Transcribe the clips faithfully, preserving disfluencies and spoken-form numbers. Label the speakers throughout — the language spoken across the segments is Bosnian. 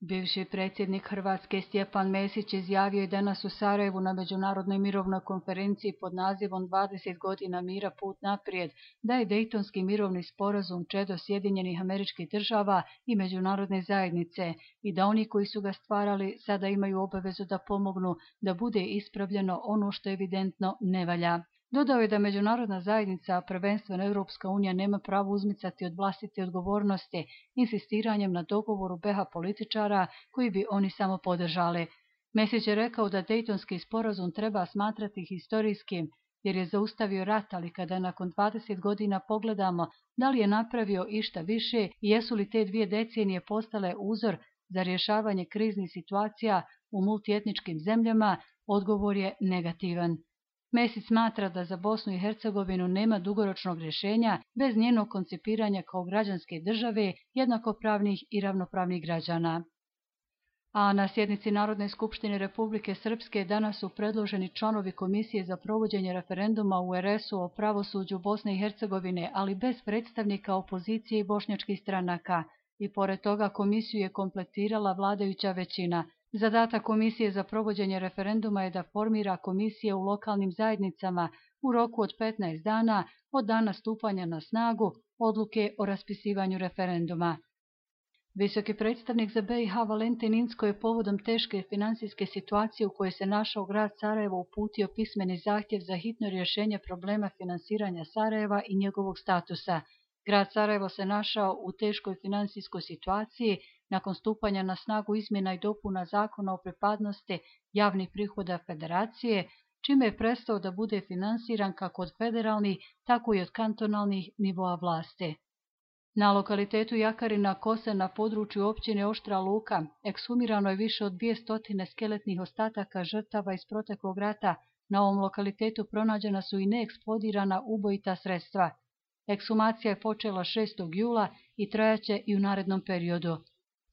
Speaker 1: Bivši predsjednik Hrvatske Stjepan Mesić izjavio je danas u Sarajevu na Međunarodnoj mirovnoj konferenciji pod nazivom dvadeset godina mira put naprijed da je Dejtonski mirovni sporazum čedo Sjedinjenih Američkih Država i međunarodne zajednice i da oni koji su ga stvarali sada imaju obavezu da pomognu da bude ispravljeno ono što evidentno ne valja. Dodao je da međunarodna zajednica, a prvenstveno Europska unija, nema pravo uzmicati od vlastite odgovornosti insistiranjem na dogovoru be ha političara koji bi oni samo podržali. Mesić je rekao da Dejtonski sporazum treba smatrati historijskim jer je zaustavio rat, ali kada nakon dvadeset godina pogledamo da li je napravio išta više i jesu li te dvije decenije postale uzor za rješavanje kriznih situacija u multietničkim zemljama, odgovor je negativan. Mesić smatra da za Bosnu i Hercegovinu nema dugoročnog rješenja bez njenog koncipiranja kao građanske države, jednakopravnih i ravnopravnih građana. A na sjednici Narodne skupštine Republike Srpske danas su predloženi članovi Komisije za provođenje referenduma u er es u o pravosuđu Bosne i Hercegovine, ali bez predstavnika opozicije i bošnjačkih stranaka. I pored toga komisiju je kompletirala vladajuća većina. Zadatak Komisije za provođenje referenduma je da formira komisije u lokalnim zajednicama u roku od petnaest dana od dana stupanja na snagu odluke o raspisivanju referenduma. Visoki predstavnik za be i ha Valentin Incko je povodom teške finansijske situacije u kojoj se našao grad Sarajevo uputio pismeni zahtjev za hitno rješenje problema finansiranja Sarajeva i njegovog statusa. Grad Sarajevo se našao u teškoj finansijskoj situaciji nakon stupanja na snagu izmjena i dopuna zakona o pripadnosti javnih prihoda federacije, čime je prestao da bude finansiran kako od federalnih, tako i od kantonalnih nivoa vlasti. Na lokalitetu Jakarina Kosa na području općine Oštra Luka ekshumirano je više od dvjesto skeletnih ostataka žrtava iz proteklog rata. Na ovom lokalitetu pronađena su i neeksplodirana ubojita sredstva. Ekshumacija je počela šestog jula i trajaće i u narednom periodu.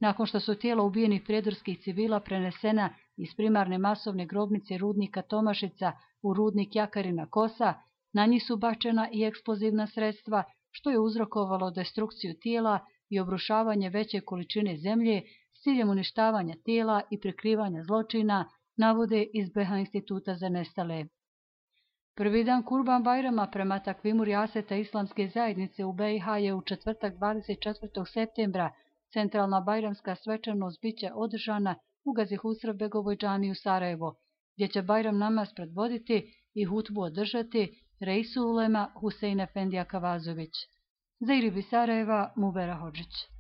Speaker 1: Nakon što su tijela ubijenih prijedorskih civila prenesena iz primarne masovne grobnice rudnika Tomašica u rudnik Jakarina Kosa, na njih su bačena i eksplozivna sredstva, što je uzrokovalo destrukciju tijela i obrušavanje veće količine zemlje s ciljem uništavanja tijela i prikrivanja zločina, navode iz be ha Instituta za nestale. Prvi dan Kurban Bajrama prema takvimu rijaseta islamske zajednice u be i ha je u četvrtak dvadeset četvrtog septembra. Centralna bajramska svečanost biće održana u Gazi Husrevbegovoj džamiji u Sarajevu, gdje će Bajram namaz predvoditi i hutbu održati Reisul ulema Husein Efendija Kavazović. Za Iribi Sarajeva, Mubera Hodžić.